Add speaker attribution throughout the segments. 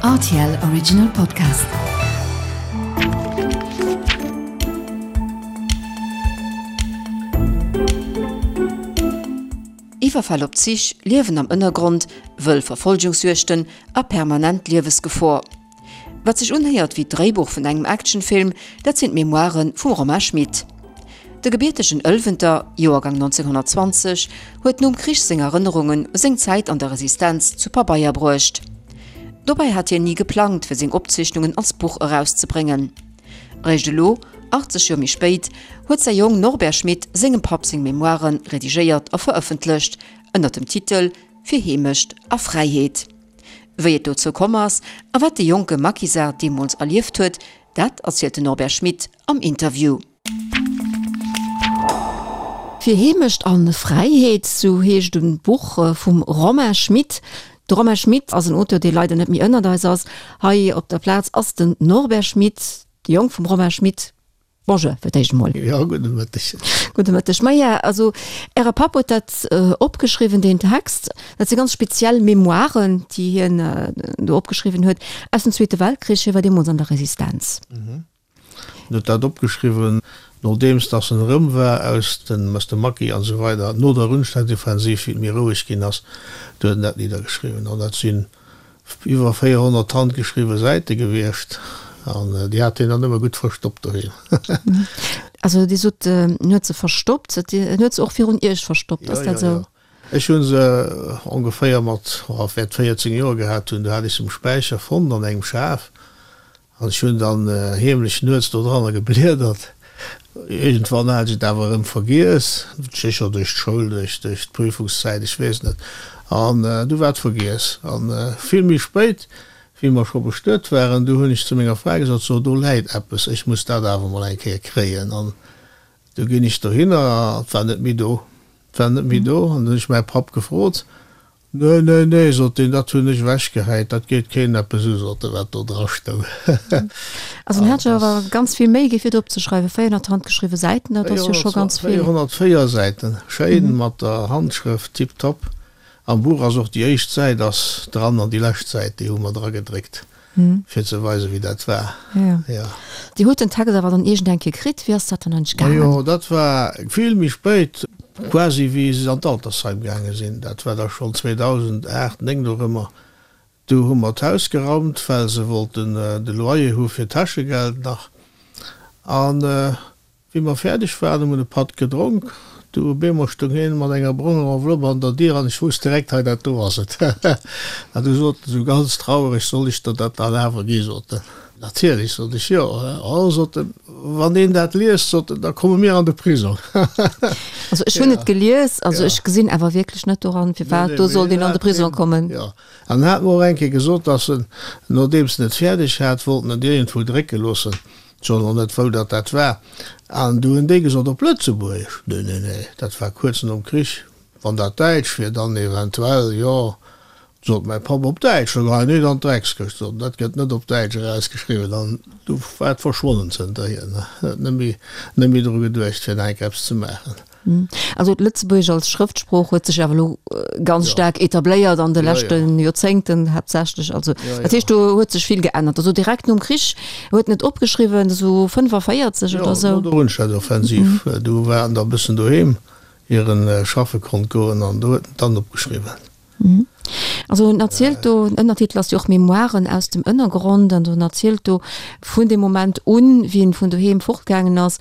Speaker 1: Rtl Original Podcast. Iwwerfäll op Zich, Liewen am Ënnergrond, wëll Verfolgungsjuegten a permanent Liewesgefor. Wat sech unhéiert wéi d'Dréibuch vun engem Actionfilm, dat sinn d'Memoiren vum Romain Schmit. De gebiertegen Ëlwenter, Joergang 1920, huet nom Krich seng Erënnerungen u seng Zäit an der Resistenz zu Pabeier bruecht. Dobäi hat hien ni geplangt, fir seng Opzeechnungen als Buch erauszebréngen. Eréischt elo, 80 Joer méi spéit, huet säi Jong Norbert Schmit sengem Papp seng Memoiren redigéiert a verëffentlecht, ënner dem Titel Fir Heemecht a Fräiheet. Wéi et dozou komm ass a wat de jonke Maquisard deemools erlieft huet, dat erzielt den Norbert Schmit am Interview. Fir Heemecht a Fräiheet, sou heescht e Buch vum Romain Schmit. De Romain Schmit ass en Auteur, dee leider net méi ënnert eis ass. Hei op der Plaz ass den Norbert Schmit, de Jong vum Romain Schmit. Bonjour fir d'éischt emol.
Speaker 2: Jo, gudde Mëtteg.
Speaker 1: Gudde Mëtteg. Maja, also Äre Papp huet dat opgeschriwwen, deen Text. Dat si ganz speziell Memoiren, déi hien do opgeschriwwen huet aus dem Zweete Weltkrich. Hie war deemools an der Resistenz.
Speaker 2: Hien huet dat opgeschriwwen, nodeems datt en erëm war aus dem, aus dem Maquis an esou weider, no der Rundstedtoffensiv, wéi et méi roueg ginn ass, du huet en dat niddergeschriwwen. An dat sinn Iwwer 400 handgeschriwwe Säite gewiescht an déi hat hien dann ëmmer gutt verstoppt doheem.
Speaker 1: Also Dir sot, en huet se verstoppt, en huet se och virun Iech verstoppt, ass dat esou?
Speaker 2: Jo, jo, jo. Ech hu se ongeféier mat, oh, wäert 14 Joer gehat hunn, do hat ech se um Späicher fonnt an engem Schaf An ech hunn dann heemlech nuets do dranner gebliedert. Iergendwann hat ech et awer erëm vergiess, sécher duerch d'Schoul, duerch d'Prüfungszäit, ech weess net. An du war et vergiess. An vill méi spéit, wéi mer scho bestuet waren, du hunn ech zu menger Fra gesot, So, do läit eppes, ech muss dat awer mol eng Kéier kréien. An du ginn ech dohinner, an et war net méi do. Et war net méi do. An du hunn ech mäi Papp gefrot. Nee, nee, nee, sot deen, dat hunn ech ewechgehäit, dat geet keen eppes u, sot e, wat do dra stoung.
Speaker 1: Also en hat sech awer ganz vill Méi gi fir et opzeschreiwen, 400 handgeschriwwe Säiten, dat ass jo scho ganz vill.
Speaker 2: 404 Säiten, schéin mat der Handschrëft, tiptop. Am Buch ass och déi éischt Säit ass dran an déi lescht Säit, déi hu mer dragedréckt. Fir ze weisen, wéi dat war.
Speaker 1: Jo. Dir hutt den Text awer dann iergend eng Kéier kritt. Wéi ass dat dann eigentlech gaangen?
Speaker 2: Majo, dat war vill méi spéit, quasi wéi se an d'Altersheim gaange sinn. Dat war da schonn 2008, 9 dorëmmer. Du hu mer d'Haus geraumt, well se wollten de Loyer hu fir d'Täschegeld nach. An Wéi mer fäerdeg waren, hu mer de Patt gedronk. Du op eemol stoung hien mat enger bronger Enveloppe an der Dier an ech wousst direkt, hei dat do ass et. An du sot en esou ganz trauereg, Soll ech der dat dann awer gi? sot en. Natierlech, sot ech, jo. Oh, sot en, wann een dat liest, sot en, da komme mir an de Prisong.
Speaker 1: Also ech hunn et gelies, also ech gesinn awer wierklech net doran, firwat do sollt een an de Prisong kommen.
Speaker 2: Jo, an en hat mer och eng Kéier gesot, dass en, nodeems en et fäerdeg hat, wollt en et iergendwou drécke loossen. Soen och net wou datt dat war. An du hunn déi gesot, op Lëtzebuergesch? Nee, nee, nee, dat war kuerz nom Krich. Wann dat Däitsch wier, dann eventuell, jo, sot mäi Papp, op Däitsch? Sot en, nee, dann d'Dreckskëscht, sot en, dat gëtt net op Däitsch erausgeschriwwen. An du war et verschwonnen zënterhier, ne, huet net méi, net méi dru geduecht, fir nach eng Kéier eppes ze maachen.
Speaker 1: Also d'Lëtzebuergesch als Schrëftsprooch huet sech awer elo ganz staark etabléiert an de leschte Joerzéngten haaptsächlech. Also dat heescht, do huet sech vill geännert. Also direkt nom Krich huet en et opgeschriwwen, esou 45 oder esou.
Speaker 2: Jo, no der Rundstedtoffensiv, du war en da bëssen doheem, ier en schaffe konnt goen, an do huet en et dann opgeschriwwen.
Speaker 1: Also en erzielt do, den Ënnertitel ass jo och Memoiren aus dem Ënnergrond, an en erzielt do vun deem Moment un, wéi en vun doheem fortgaangen ass.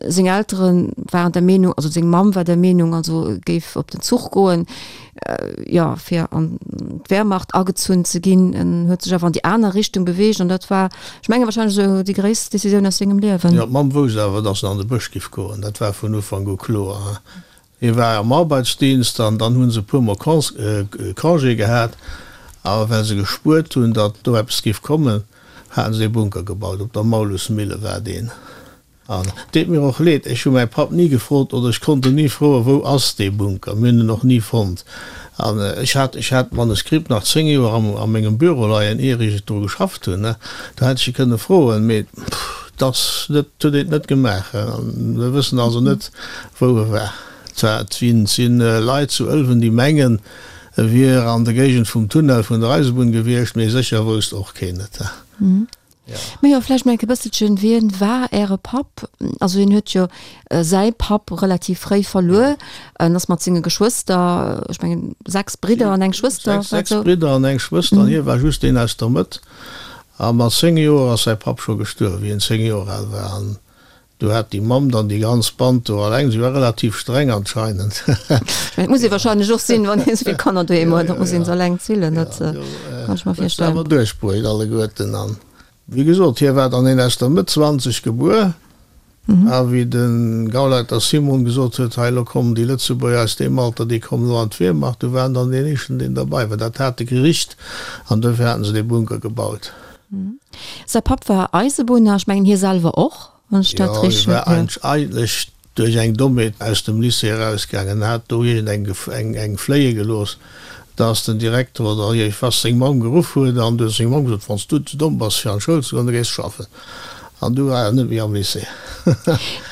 Speaker 1: Seng Eltere waren der Meenung, also seng Mamm war der Meenung, also e géif op den Zuch goen, jo, fir an d'Wehrmacht agezunn ze ginn. En huet sech awer an déi aner Richtung beweegt an dat war, ech menge wahrscheinlech esou déi gréisst Decisioun aus sengem Liewen.
Speaker 2: Jo, d'Mamm wousst awer, datt en an de Bësch giff goen, dat war vun Ufank u kloer. Hie war am Arbeitsdienst an dann hu se e puer mol Congé gehat. A well se gespuert hunn, datt do eppes géif kommen, haten se ee Bunker gebaut. Op der Maulusmille war deen. An et deet mir och leed, ech hu mäi Papp ni gefrot oder ech konnt en ni froen, wou ass dee Bunker? Mir hunn en och ni fonnt. An ech hat, ech hat d'Manuskript nach 10 Joer am, a mengem Büro leien, ier ech et dru geschafft hunn. Do hätt ech e kënne froen, mee et ass net, huet een et net gemaach. Mir wëssen also net, wou e war. Zwar, et sinn, sinn Leit zu Ëlwen, déi mengen, E wier an der Géigend vum Tunnel vun der Eisebunn gewiescht, mee sécher wousst och keen et.
Speaker 1: Mee jo, vläicht mol enke bësselchen, Wien war Äre Papp? Also hien huet jo säi Papp relativ fréi verluer en ass mat senge Geschwëster, ech mengen 6 Bridder an eng Schwëster,
Speaker 2: war et sou? 6 Bridder an eng Schwëster, an hie war just deen aus der Mëtt. A mat 10 Joer ass säi Papp scho gestuerwen, wéi hien 10 Joer al war. An Do hat déi Mamm dann déi ganz Band do alleng. Si war relativ streng anscheinend.
Speaker 1: Dat muss ee wahrscheinlech och sinn, wann een esou vill Kanner doheem huet, da muss een se alleng zillen. Dat kann ech mer
Speaker 2: virstellen. Huet se awer duerchbruecht alleguerten. An wéi gesot, hie war dann een aus der Mëtt 20 gebuer. A wéi de Gauleiter Simon gesot huet, hei elo kommen déi Lëtzebuerger aus deem Alter, déi kommen elo an d'Wehrmacht, du war en dann deen éischten, deen derbei war. Dat hat e gericht an duerfir haten se dee Bunker gebaut.
Speaker 1: Säi Papp war Eisebunner, ech mengen hie selwer och, wann ech dat
Speaker 2: Jo, hie war eigentlech duerch eng Dommheet aus dem Lycée erausgaangen, hat do iergend eng eng fléie gelooss, dass den Direkter oder iergendwas seng Mamm geruff huet an du huet seng Mamm gesot, Wann s du ze domm bass fir an d'Schoul ze goen, da gees de schaffen. An du war en net méi am Lycée.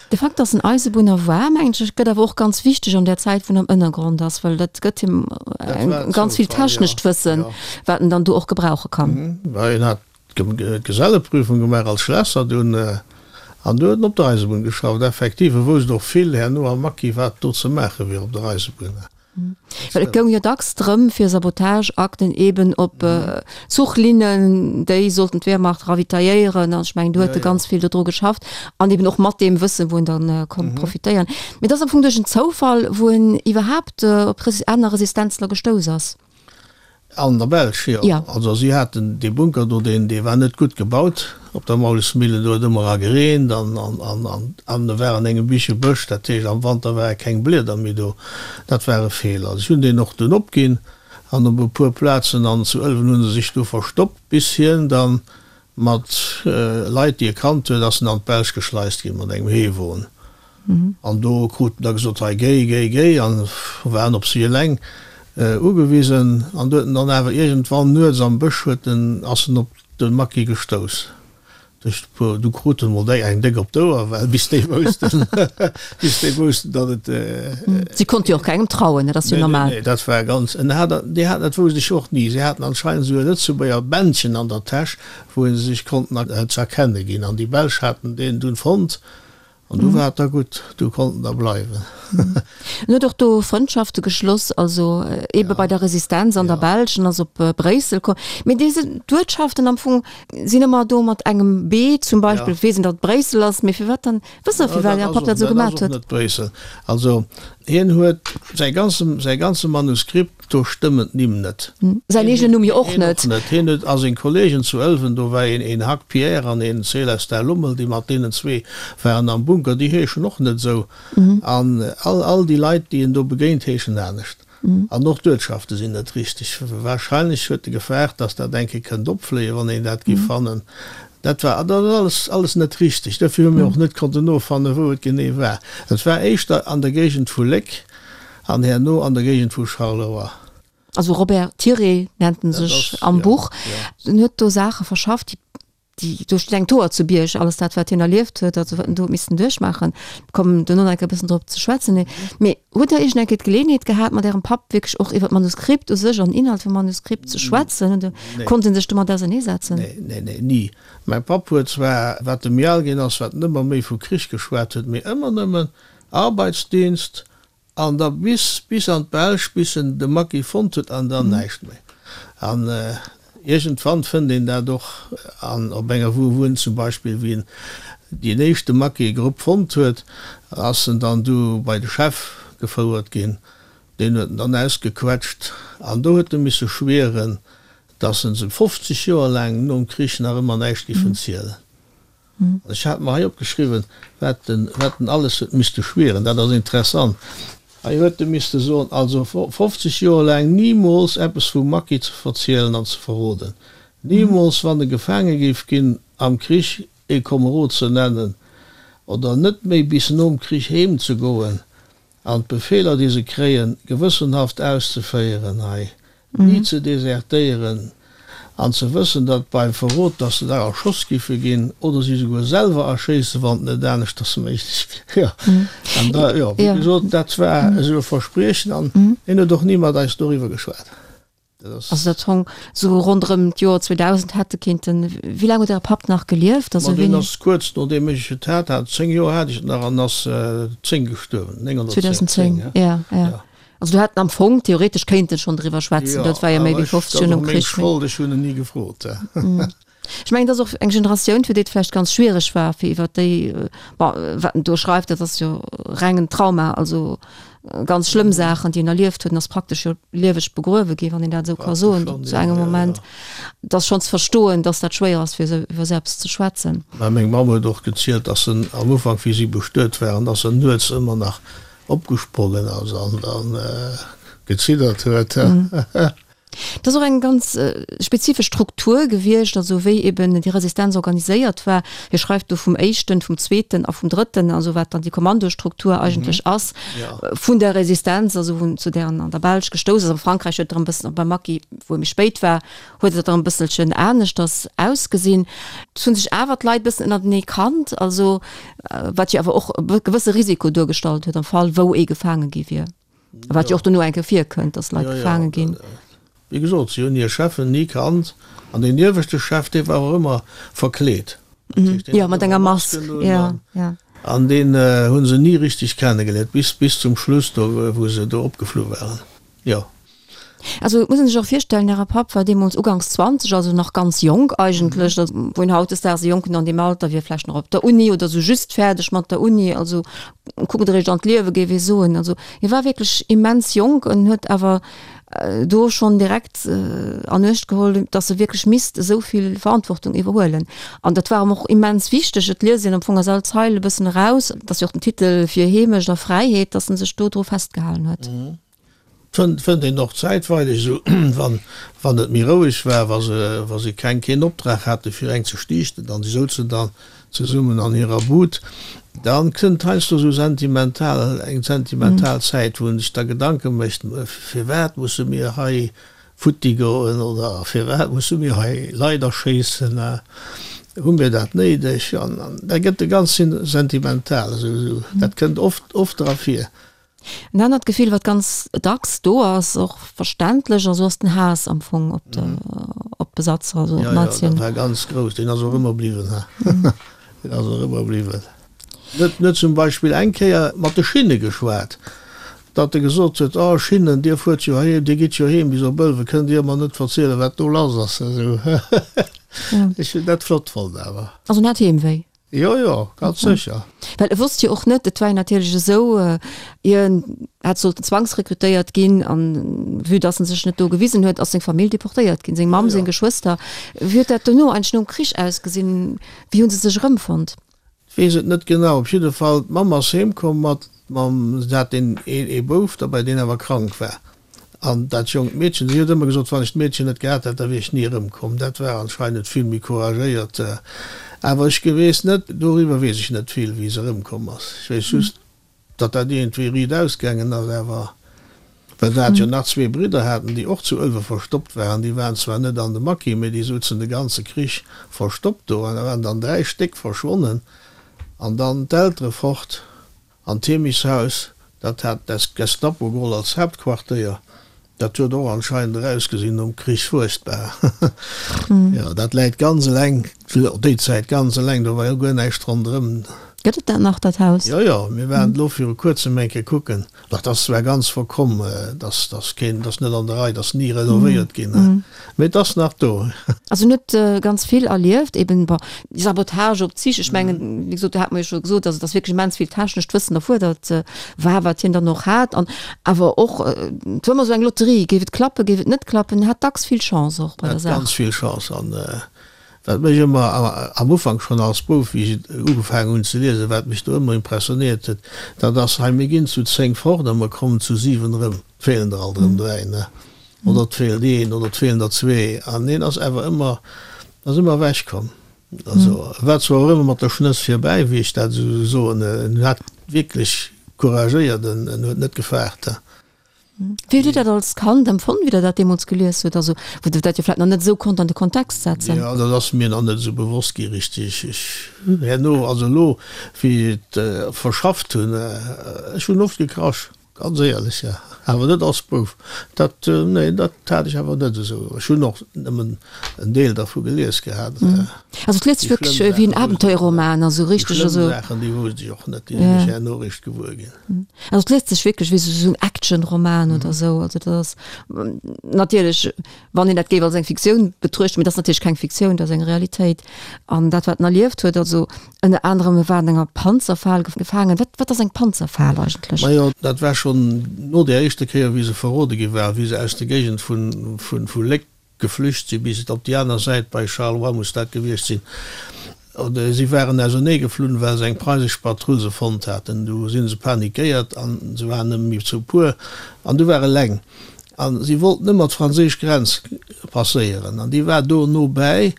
Speaker 1: De Fakt, dass en Eisebunner war, mengen ech, gëtt awer och ganz wichteg an där Zäit, wou en am Ënnergrond ass, well dat gëtt him ganz vill technescht Wëssen, wat en dann do och gebrauche kann.
Speaker 2: Well hien hat d'Geselleprüfung gemaach als Schlässer dunn, an du huet en op der Eisebunn geschafft. Effektiv, e wousst och vill herno am Maquis, wat do ze maache wier op der Eisebunn.
Speaker 1: Well et goung jo dacks drëm, fir Sabotageakten eben op Zuchlinnen, déi sollten d'Wehrmacht ravitailléieren, an ech mengen, do huet e ganz vill dodru geschafft, an eben och mat deem Wëssen, wou en dann konnt profitéieren. Mee et ass am Fong duerch en Zoufall, wou en iwwerhaapt op aner Resistenzler gestouss ass.
Speaker 2: An der Belsch, jo.
Speaker 1: Jo.
Speaker 2: Also si haten dee Bunker do, deen, dee war net gutt gebaut op der Maulesmillen. Do huet ëmmer era gereent an, an, an, an, an e war an engem Bichebësch, dat heescht am Wanter ware keng Blieder méi do. Dat war e Feeler. Si hunn deen och dunn opginn an op e puer Plazen an zu Ëlwen hu se sech du verstoppt, bis hien dann Mat Leit, déi e kannt huet, ass en an d'Belsch geschleist ginn mat engem Heewon. An do krut en da gesot, hei géi, géi, géi, an waren op si eleng ugewisen. An do huet en dann awer iergendwann nuets am Bësch huet en, ass en op de Maquis gestouss. Duerch e puer, du krut en mol déi eng déck op d'Ouer, well bis déi woussten, bis déi woussten, datt
Speaker 1: et. Si konnte jo och kengem trauen, dat ass jo normal.
Speaker 2: Nee, nee, dat war ganz, en hat, déi haten, dat wousst ech och ni, si haten anscheinend esou e Lëtzebuerger Bändchen an der Täsch, wou se sech konnten ze erkenne ginn. An déi Belsch haten deen dunn fonnt an du war et da gutt, du konnt en da bleiwen.
Speaker 1: En huet och do Frëndschafte geschloss, also eebe bei der Resistenz an der Belsch, en ass op Bréissel komm. Mee déi sinn, d'Uertschaften am Fong sinn ëmmer do mat engem B zum Beispill, weess een, datt et Bréissel ass, mee firwat dann? Wësst Der, firwat Är Papp dat esou gemat
Speaker 2: huet? Dat ass och net Bréissel. Also hien huet säi ganze, säi ganze Manuskript, do stëmmen d'Nimm net.
Speaker 1: Säin eegenen Numm jo och net.
Speaker 2: Hien och net. Hien huet a seng Kollegen zu Ëlwen, do war een, een Hack Pierre an een Célestin Lommel, déi mat deenen zwee waren am Bunker, déi heeschen och net esou. An all, all déi Leit, déi en do begéint, heeschen anescht. An och d'Uertschafte sinn net richteg. Wahrscheinlech huet e gefaart, datt dat eng Kéier kënnt opfléien, wann een dat géif fannen. Dat war dat ass alles, alles net richteg. Dofir hu mir och net konnten nofannen, wou et genee war. Et war éischter an der Géigend vu Léck an herno an der Géigend vu Charleroi.
Speaker 1: Also Robert Tiré nennt en sech am Buch. En huet do Saache verschafft, déi déi do steet eng Tour zu Bierg, alles dat wat hien erlieft huet, also wat en do huet missen duerchmaachen, kommen duerno nach eng Kéier e bëssen drop ze schwätzen. Mee hutt Der iergend eng Kéier d'Geleeënheet gehat mat Ärem Papp wierklech och iwwer d'Manuskript u sech an den Inhalt vum Manuskript ze schwätzen? Oder konnt en sech domat auserneesetzen?
Speaker 2: Nee, nee, nee, ni. Mäi Papp huet zwar, wat e méi al ginn ass, wat en ëmmer méi vu Krich geschwat huet, mee ëmmer nëmmen Arbeitsdienst, An da bis, bis an d'Belsch, bis en de Maquis fonnt huet, an dann näischt méi. An iergendwann fënnt een dat och an op enger Wou, wou en zum Beispill, wéi en deen éischte Maquis-Grupp fonnt huet, ass en dann du bei de Chef gefouert ginn. Deen huet en dann ausgequetscht an do huet e misse schwieren, dass en se 50 Joer laang nom Krich nach ëmmer näischt giffen zielen. Ech hat mer hei opgeschriwwen, wat en, wat en alles huet misste schwieren. Dat ass interessant. Hei huet e misste soen, also 50 Joer laang nimools eppes vum Maquis ze verzielen an ze verroden, nimools, wann e gefaange géif ginn am Krich, ee Komerod ze nennen oder net méi bis nom Krich heem ze goen an d'Befeeler, déi se kréien, gewëssenhaft auszeféieren, hei ni ze desertéieren. An ze wëssen, datt beim Verrot, datt se da erschoss giffe ginn, oder si souguer selwer erschéissen, wann et net aneschters méiglech wier. Jo, an da, jo, wéi gesot, dat war esou e Verspriechen an hien huet och ni mat eis doriwwer geschwat.
Speaker 1: Dat ass. Also dat hong esou ronderëm d'Joer 2000 hätte kinnten. Wéi laang huet Äre Papp nach gelieft?
Speaker 2: Also Ma deen wéini? ass kuerz nodeem ech et hat, hat 10 Joer hat ech et nach an ass 10 gestuerwen, 910,
Speaker 1: 2010, ja, ja. Ja. Also do hätt en am Fong theoretesch kéinten schonn driwwer schwätzen, dat war jo méi wéi 50 Joer nom Krich.
Speaker 2: Jo, awer ech, dat ass och meng Schold, ech hunn en ni gefrot.
Speaker 1: Ech mengen, et ass och eng Generatioun, fir déi et vläicht ganz schwiereg war, fir iwwer déi, bon, wat en do schreift, dat ass jo rengen Trauma, also ganz schlëmm Saachen, déi en erlieft huet, en ass praktesch jo lieweg begruewe ginn, wann een dat esou ka soen, zu engem Moment. Et ass schonn ze verstoen, datt dat schwéier ass, fir esou iwwer esou eppes ze schwätzen.
Speaker 2: Mä meng Mamm huet och gezielt, datt en am Ufank, wéi si bestuet waren, datt en nuets ëmmer nach opgesprongen ass an dann geziddert huet.
Speaker 1: Et ass och eng ganz spezifesch Struktur gewiescht, also wéi eben déi Resistenz organiséiert war. Hie schreift do vum éischten, vum zweeten a vum drëtten, also wat dann déi Kommandostruktur eigentlech ass vun der Resistenz, also wou zu där en an der Belsch gestouss ass. A Frankräich huet et erëm e bëssen, beim Maquis, wou e méi spéit war, huet et erëm e bësselchen aneschters ausgesinn. Et hu sech awer d'Leit e bëssen ënnertenee kannt, also wat jo awer och e gewësse Risiko duergestallt huet am Fall wou ee gefaange gi wier, a wat jo och dono eng Kéier virkënnt, datt Leit gefaange ginn.
Speaker 2: Wéi gesot, si hunn hir Cheffen ni kannt an deen ieweschte Chef, dee war och ëmmer verkleet.
Speaker 1: Jo, mat enger Mask, jo, jo.
Speaker 2: An deen hu se ni richteg kennegeléiert, bis, bis zum Schluss do, wou se do opgeflu waren. Jo.
Speaker 1: Also et muss een sech och virstellen, Äre Papp war deemools uganks 20, also nach ganz jonk eigentlech, also wou een hautdesdaags e Jonken an deem Alter wier vläicht nach op der Uni oder sou just fäerdeg mat der Uni, also kuckt eréischt an d'Liewe géif ee soen. Also hie war wierklech immens jonk en huet awer do schonn direkt an Uecht geholl, datt e wierklech misst esou vill Verantwortung iwwerhuelen. An dat war em och immens wichteg. Et liest een am Fong aus all Zeil e bëssen eraus, et ass jo och den Titel Fir Heemecht a Fräiheet, datt en sech do dru festgehalen huet.
Speaker 2: Fënnt fënnt een och zäitweileg esou, wann wann et méi roueg war, wa se wa se keng keen Optrag hate fir eng ze stiichten, an si souzen dann zesummen an hirer Bud, dann kënnt heiansdo esou sentimental eng sentimental Zäit, wou een sech da Gedanke mécht, firwat musse mir hei futti goen oder firwat musse mir hei Leit erschéissen, hu mir dat néideg? An da gëtt e ganz sentimental, esou esou dat kënnt oft oft dra vir.
Speaker 1: En anert Gefill, wat ganz dacks do ass, och verständlech, also ass den Haass am Fong op de, op d'Besatzer, also op
Speaker 2: d'Nazien. Jo, jo, dat war ganz grouss, deen ass och ëmmer bliwwen, ha, deen ass och ëmmer bliwwen. Net, net zum Beispill eng Kéier mat de Schinne geschwat, datt e gesot huet, Oh Schinnen, dir fuert jo heem, dir gitt jo heem bis op Ëlwen, kënnt dir mer net verzielen, wat do lass ass? Esou, ech hunn dat flott fonnt awer.
Speaker 1: Also en hat Heemwéi?
Speaker 2: Jo, jo, ganz sécher.
Speaker 1: Well e wosst jo och net, et war jo natierlech esou, hien hätt sollten zwangsrekrutéiert ginn an vue dass en sech net do gewisen huet, ass seng Famill deportéiert ginn, seng Mamm, seng Geschwëster. Wéi huet dat dono eigentlech nom Krich ausgesinn? Wéi hu se sech erëmfonnt?
Speaker 2: Weess et net genau. Op jidde Fall, d'Mamm ass heemkomm mat, mam, se hat een, ee Bouf derbäi, deen awer krank war. An dat jonkt Meedchen, si huet ëmmer gesot, wann ech d'Meedchen net gehat hätt, da wier ech ni erëmkomm. Dat war anscheinend vill méi couragéiert. Awer ech weess net, doriwwer weess ech net vill, wéi se erëmkomm ass. Ech weess just, datt dat iergendwéi riit ausgaangen ass. Awer well se hat jo nach zwee Bridder haten, déi och zu Ëlwe verstoppt waren. Déi waren zwar net an de Maquis, mee déi souzen de ganze Krich verstoppt do. An da waren dann dräi Stéck verschwonnen an dann d'Eltere fort. An d'Heemishaus, dat hat d'Gestapo geholl als Haaptquartéier. Dat huet och anscheinend erausgesinn nom Krich fuerchtbar. Jo, dat läit ganz eleng, déi Zäit ganz eleng, do war jo guer näischt ronderëm.
Speaker 1: Gëtt et dat nach, dat Haus?
Speaker 2: Jo, jo, mir waren elo viru kuerzem eng Kéier kucken. Dat ass zwar ganz verkomm, dat ass keen, dat ass net an der Rei, dat ass ni renovéiert ginn, mee et ass nach do.
Speaker 1: Also en huet ganz vill erlieft, eben, bon, déi Sabotage op Zich, ech mengen, wéi gesot, do hat mer jo scho gesot, also et ass wierklech immens vill technescht Wëssen erfuerdert war, wat hien dann och hat an awer och, et war ëmmer esou eng Lotterie, géif et klappen, géif et net klappen, en hat dacks vill Chance och bei der
Speaker 2: Saach. Ganz vill Chance an wat mech ëmmer am Ufank schonn als Bouf, wéi ech ugefaangen hunn ze liesen, wat mech do ëmmer impressionéiert huet, dat ass hei, mir ginn zu 10 fort a mer kommen zu 7 erëm, et feelen der alt erëm 3, ne? Oder et feelt een oder et feelen der zwee an hien ass awer ëmmer, ass ëmmer ewech komm. Also e war zwar och ëmmer mat der Schnëss virbäi, wéi ech dat esou soen, en hat wierklech couragéiert, en huet net gefaart.
Speaker 1: Wéi hutt Dir dat als Kand empfonnt, wéi Der dat deemools gelies hutt? Also, wou Der dat jo vläicht nach net esou konnt an de Kontext setzen.
Speaker 2: Jo, dat ass mir nach net esou bewosst gi richteg. Ech hunn herno, also elo, wéi ech et verschafft hunn, ech hunn oft gekrasch. Ganz éierlech, jo. Awer net als Bouf. Dat, nee, dat hat ech awer net esou. Ech hunn och nëmmen en Deel dervu gelies gehat.
Speaker 1: Also et liest sech wierklech wéi en Abenteuerroman, also
Speaker 2: richteg. Déi schlëmm Saachen, déi wousst ech och net, déi sinn ech herno eréischt gewuer ginn.
Speaker 1: Also et liest sech wierklech wéi esou en Actionroman oder esou. Also dat ass natierlech, wann een dat géif als eng Fiktioun betruechten, mee dat ass natierlech keng Fiktioun, dat ass eng Realitéit. An dat wat en erlieft huet, also Ënner anerem, e war an enger Panzerfal gefaangen. Wat, wat ass eng Panzerfal eigentlech?
Speaker 2: Majo, dat war schonn no där éischter Kéier, wéi se verrode gi war, wéi se aus der Géigend vun, vun, vu Léck geflücht sinn, bis et op déi aner Säit bei Charleroi muss dat gewiescht sinn. Oder si waren ausernee geflunn, well se eng preisesch Patrull se fonnt haten. Du si se panikéiert an se waren nëmme méi zu puer an du war eleng. A si wollten ëmmer d'franséisch Grenz passéieren an déi war do no bäi.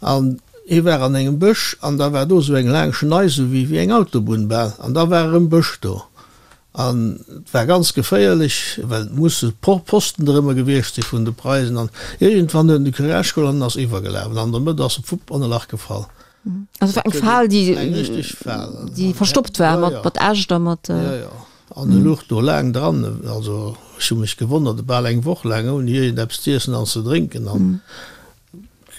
Speaker 2: An hie war an engem Bësch an da war do esou eng laang Schnei, esou wéi wéi eng Autobunn bal, an da war erëm Bësch do. An et war ganz geféierlech, well et musse Posten drëmmer gewiescht si vun de Preisen. An iergendwann huet en de Courage geholl an ass iwwergelaf an an der Mëtt ass e fupp an e Lach gefall.
Speaker 1: Also et war eng Fal, déi, Eng richteg Fal. déi verstoppt war mat, mat Äscht a mat.
Speaker 2: Jo, jo. An e luch do laang dran, also ech hu mech gewonnert, bal eng Woch laang ouni iergendeppes z'iessen an ze drénken an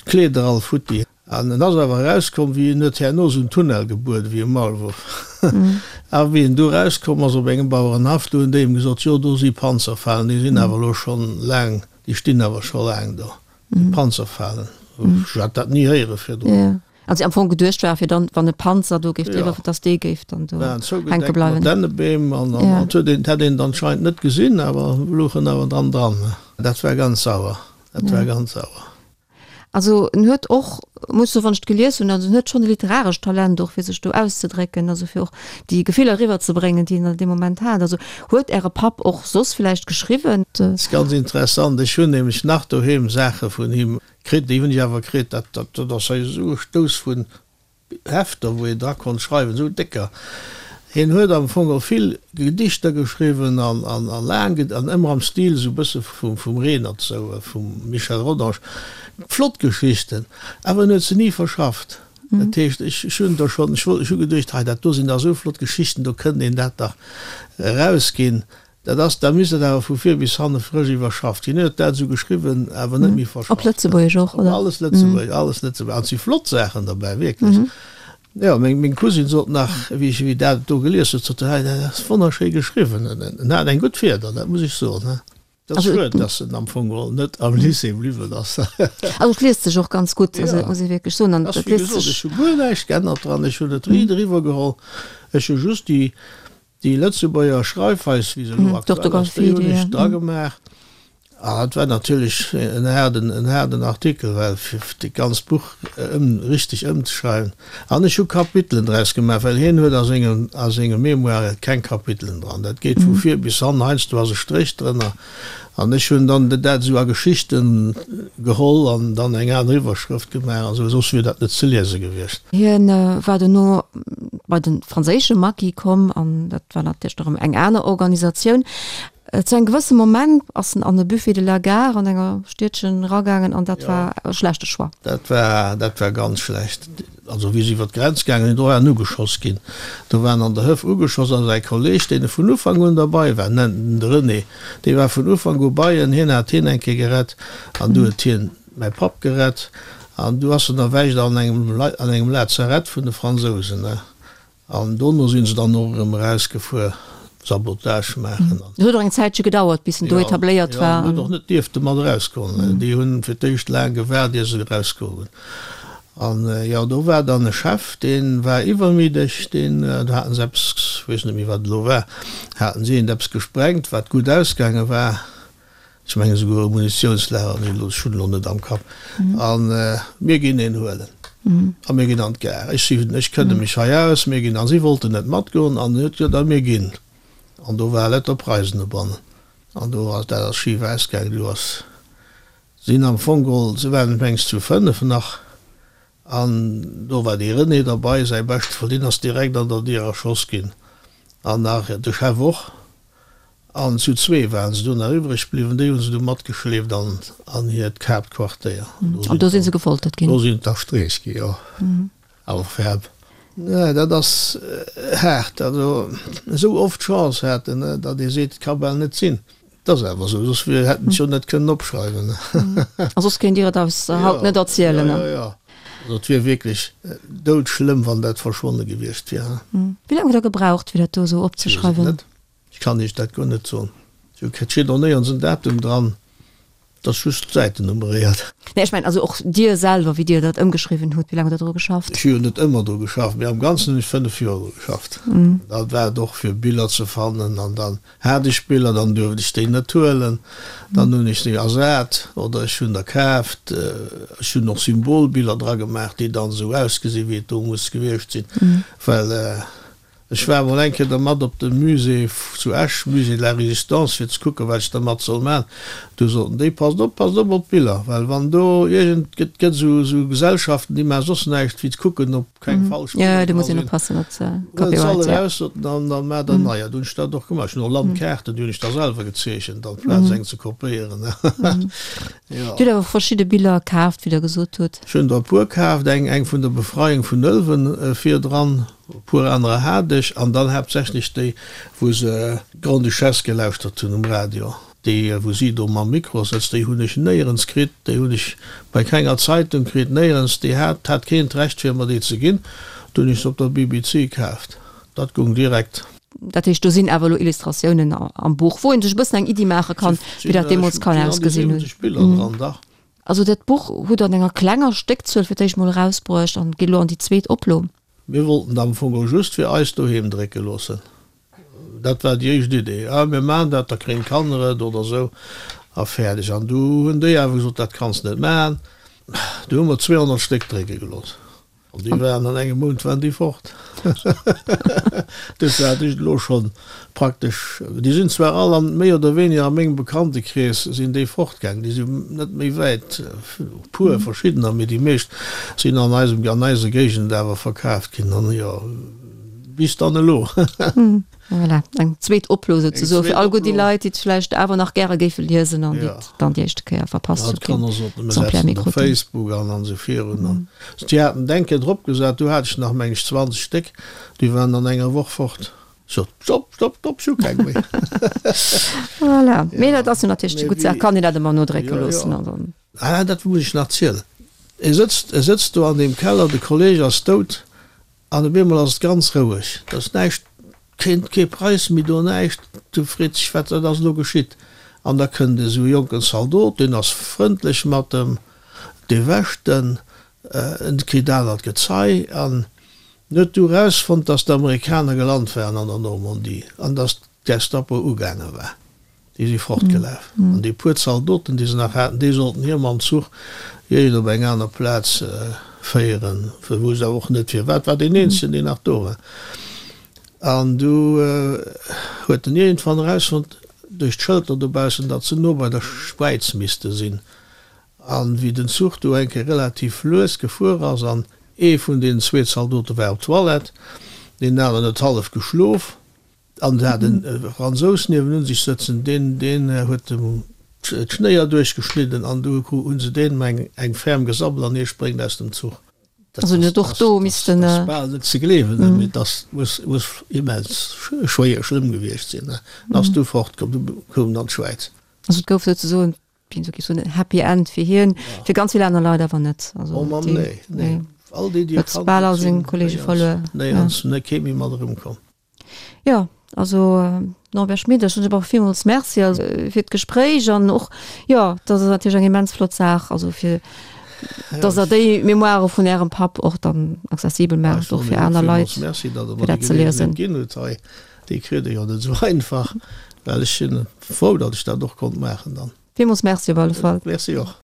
Speaker 2: D'Kleeder all futti. An en ass awer erauskomm, wéi en huet herno esou en Tunnel gebuert ewéi e Maulwurf. A wéi en du erauskomm ass op engem Bauerenhaff, du hunn déi em gesot, jo do si Panzerfalen, déi sinn awer elo schonn laang, déi stinn awer scho laang do, déi Panzerfalen. Ech hat dat ni héiere virdrun.
Speaker 1: Also déi am Fong geduecht war, fir dann, wann e Panzer do géif driwwer, dass dee géif dann do hänke bleiwen.
Speaker 2: Waren zougedeckt mat Dännebeem an dat huet een, hätt een anscheinend net gesinn, awer louchen awer dran dran. Dat war ganz sauer. Dat war ganz sauer.
Speaker 1: Also en huet och, muss soen, wann ech et gelies hunn, also en huet schonn e literarescht Talent och fir sech do auszedrécken, also fir och déi Gefiller eriwwer ze bréngen, déi en an deem Moment hat. Also huet Äre Papp och soss villäicht geschriwwen?
Speaker 2: Dat ass ganz interessant. Ech hunn nämlech nach doheem Saache vun him kritt, déi hunn ech awer kritt, dat, dat ass hei esou e Stouss vun Hefter, wou een dra konnt schreiwen, esou décker. Hien huet am Fong och vill Gedichter geschriwwen an laang an ëmmer am Stil esou e bësse vum Renert, esou vum Michel Rodange. Flott Geschichten, awer en huet se ni verschafft. Dat heescht, ech hunn der schonn, ech hu geduecht, hei dat do sinn dach esou flott Geschichten, do kënnt een dat dach erausginn. Dat ass, da misst dat awer vu vir bis hanne frësch iwwerschafft ginn. Hien huet dat esou geschriwwen, awer net méi
Speaker 1: verschafft. Op Lëtzebuergesch och, oder?
Speaker 2: Alles Lëtzebuergesch, alles Lëtzebuergesch. An et si flott Saachen derbäi, wierklech. Jo, meng, meng Cousine sot nach, wéi ech, wéi dat do gelies huet, sot se, hei, dat ass wonnerschéi geschriwwen. En hat eng gutt Fieder, dat muss ech soen, he. Dat ass schued, dass en am Fong geholl net am Lycée bliwwen ass.
Speaker 1: Also et liest sech och ganz gutt, also dat muss ee wierklech soen.
Speaker 2: An et liest sech. Ech hu guer näischt geännert dran, ech hunn et riit eriwwer geholl. Ech hu just déi, Déi Lëtzebuerger Schreifweis, wéi se elo aktuell ass, déi hunn ech dragemaach. An dat war natierlech en haarden, en haarden Artikel, well fir dat ganzt Buch ëm, richteg ëmzeschreiwen. An ech hu Kapitelen draus gemaach, well hien huet a sengem, a senge Mémoire keng Kapitelen dran. Dat geet vu vir bis hannen, heiansdo ass e Stréch drënner. An ech hunn dann dat esou a Geschichten geholl an dann eng aner Iwwerschrëft gemaach an esou, soss wier dat net ze liese gewiescht.
Speaker 1: Hien war dono bei de franséische Maquis komm an dat war natierlech erëm eng aner Organisatioun. Zu engem gewësse Moment ass en an e Buffet de la Gare an enger Stiedchen eragaangen an dat war e schlechte Choix.
Speaker 2: Dat war, dat war ganz schlecht. Also wéi se iwwer d'Grenz gaangen sinn, do war en ugeschoss ginn. Do war en an der Hëff ugeschoss a säi Kolleg, deen e vun Ufank un derbei war, nennt en de René, dee war vun Ufank u bei en, hien hat hien eng Kéier gerett an du huet hien mäi Papp gerett an du ass en erwächt an engem an engem Lazarett vun de Fransousen. An dono sinn se dann och erëm erausgefuer, Sabotage maachen
Speaker 1: an. Et huet och eng Zäitche gedauert, bis en do etabléiert war.
Speaker 2: Jo, en huet och net dierfte mat erausgoen. Déi hunn fir d'éischt laang gewaart, ier se erausgoe hunn. An jo, do war dann e Chef, dee war iwwermiddeg, deen, do haten se eppes, ech weess net méi, wat et elo war, haten si eent eppes gesprengt, wat gutt ausgaange war. Ech mengen esouguer e Munitiounslager, mee elo, ech hunn elo net am Kapp. A mir ginn een huelen a mir ginn an d'Gare. Ech si, ech kënne mech hei aus, mir ginn. A si wollten net matgoen an huet gesot, a mir ginn. An do war lauter Preisen dobannen an do ass, dat ass schif ausgaangen. Do ass, sinn am Fong geholl, se waren mengs zu 5 nach, an do war dee René derbei, säi beschte Frënd, deen ass direkt an der Dier erschoss ginn an nach de Chef och. An zu zwee waren se do nach iwwreg bliwwen. Déi hu se du matgeschleeft an an hiert Haaptquartéier.
Speaker 1: An do si se gefoltert ginn?
Speaker 2: Do sinn d'erstreech gi, jo. Awer ferm. Nee, dat ass haart. Also esou oft Chance haten, datt ee seet, et ka bal net sinn. Et ass awer esou, soss hätten ech jo net kënnen opschreiwen.
Speaker 1: A soss kéint Dir et eis haut net erzielen.
Speaker 2: Jo, jo, jo. Also et wier wierklech doudschlëmm, wann dat verschwonne gewiescht wier.
Speaker 1: Wéi laang hutt Der gebraucht, fir dat do esou opzeschreiwen?
Speaker 2: Ech weess et net. Ech kann Iech dat guer net soen. Et steet och néierens en Datum dran. Et ass just d'Säiten nummeréiert.
Speaker 1: Nee, ech mengen also och Dir selwer, wéi Dir dat ëmgeschriwwen hutt, wéi laang hutt Der dru geschafft?
Speaker 2: Ech hu jo net ëmmer dru geschafft, mee am Ganzen hunn ech 5 Joer dru geschafft. Dat war et och fir Biller ze fannen an dann hat ech Biller, dann duerft ech déi net huelen, dann hunn ech déi ersat oder ech hunn der kaaft. Ech hunn och Symbolbiller dra gemaach, déi dann esou ausgesinn, wéi et do muss gewiescht sinn, well Ech war emol eng Kéier dermat op de Musée zu Esch, Musée de la Résistance, fir ze kucken, wat ech dermat soll man. Du soten déi, Passt op, passt op op d'Biller, well wann do iergend, gëtt gëtt esou esou Gesellschaften, déi maache soss näischt wéi ze kucken, ob keng falsch
Speaker 1: Biller dra sinn.
Speaker 2: Huelt se all eraus, soten an da maacht der neier. Du hunn ech dat och gemaach. Ech hunn och Landkaarten, déi hunn ech da selwer gezeechent, amplaz eng ze kopéieren.
Speaker 1: Jo. Dir hutt awer verschidde Biller kaaft, wéi Der gesot hutt.
Speaker 2: Ech hunn der e puer kaaft, eng eng vun der Befreiung vun Ëlwen virdran. E puer anerer hat ech, an dann haaptsächlech déi, wou se d'Grande-Duchesse gelauschtert hunn um Radio. Déi, wou si do mam Mikro sëtzt, déi hunn ech néierens kritt, déi hunn ech bei kenger Zeitung kritt, néierens. Déi hat, hat keen d'Recht, fir mer déi ze ginn. Du hunn ech se op der BBC kaaft. Dat goung direkt.
Speaker 1: Dat heescht, do sinn awer elo Illustratiounen am Buch, wou ee sech e bëssen eng Iddi maache kann, wéi dat deemools kann ausgesinn hunn.
Speaker 2: Et sinn an déi 70 Biller dran, dach.
Speaker 1: Also dat Buch hutt Der an enger klenger Stéckzuel fir d'éischt mol erausbruecht an geet elo an déi zweet Oplo.
Speaker 2: Mir wollten am Fong och just fir eis doheem drécke loossen. Dat war déi éischt Idee. Ah, mir maachen dat, da kréien d'Kanner et oder esou a fäerdeg. An du hunn déi awer gesot, dat kanns net maachen. Du hu mer 200 Stéck drécke gelooss. An déi waren an engem Mount waren déi fort. Dofir hat ech elo schonn praktesch, déi sinn zwar all an, méi oder weniger a mengem Bekanntekrees sinn déi fortgaang, déi sinn net méi wäit, e puer verschiddener, mee déi meescht sinn an eisem, an eiser Géigend awer verkaaft ginn an jo, bis dann elo.
Speaker 1: Voilà, eng zweet Oplo souzesoen fir all gutt déi Leit, déi et vläicht awer nach gäre géife liesen an déi et dann déi éischte Kéier verpasst hunn.
Speaker 2: Dat kann och soten, mir setzen op Facebook an an esou virun an déi haten d'Enke drop gesat, do hat ech nach meng ech 20 Stéck, déi waren an enger Woch fort. Sot, Stopp, stopp, stopp, ech hu keng méi.
Speaker 1: Voilà, mee dat ass jo natierlech déi gutt Saach, kann een dat ëmmer nodrécke loossen an dann.
Speaker 2: Ah, dat muss ech nach zielen. E sëtzt, e sëtzt do an deem Keller, de Kolleg ass dout an op eemol ass et ganz roueg. Et ass näischt, keen, kee Preis méi do, näischt. Du freet sech, wat, wat ass elo geschitt? An da kënnt esou e jonken Zaldot, deen ass frëndlech mat em, dee wäscht en, en kritt anert Gezei an En huet du erausfonnt, datt d'Amerikaner gelant waren an der Normandie an datt d'Gestapo ugaange war. Déi si fortgelaf. An déi puer Zaldoten, déi se nach haten, déi sollten hie mam Zuch iergend op eng aner Plaz féieren. Wousst awer och net firwat. War deen eenzegen, deen nach do war. An du huet en iergendwann erausfonnt, duerch d'Schëlter dobaussen, datt se no bei der Schwäiz misste sinn. An wéi den Zuch du eng Kéier relativ lues gefuer ass, an ee vun deenen zwee Zaldote war op d'Toilette, deen aneren huet hallef geschlof, an et hat en Fransous niewenun sech sëtzen, deen, deen huet em d'Schnéier duerchgeschnidden, an du hu se deem eng, eng ferm gesabbelt an hie spréngt aus dem Zuch.
Speaker 1: Dat Also net och do missten.
Speaker 2: Dat ass bal net ze gleewen, mee dat muss, muss immens schwéier, schlëmm gewiescht sinn. En ass du fortkomm, du koum en an d'Schwäiz.
Speaker 1: Also et gouf souzesoen wéi soll ech soen, en Happy End fir hien, fir ganz vill aner Leit awer net.
Speaker 2: Also, oh Mann, nee, nee.
Speaker 1: All déi, déi huet bal all seng Kollege verluer.
Speaker 2: Nee, ja. Ans net kee méi mat erëmkomm.
Speaker 1: Ja, also Norbert Schmit, ech soen och villmools Merci also, fir d'Gespréich an och, jo, dat ass natierlech eng immens flott Saach, also fir dass Der déi Memoire vun Ärem Papp och dann accessibel maacht, och fir aner Leit,
Speaker 2: fir dat ze liesen. Ginn huet hei. Déi kritt ee jo net esou einfach, well ech sinn frou, datt ech dat och konnt maachen dann.
Speaker 1: Villmools Merci op alle Fall.
Speaker 2: Merci och.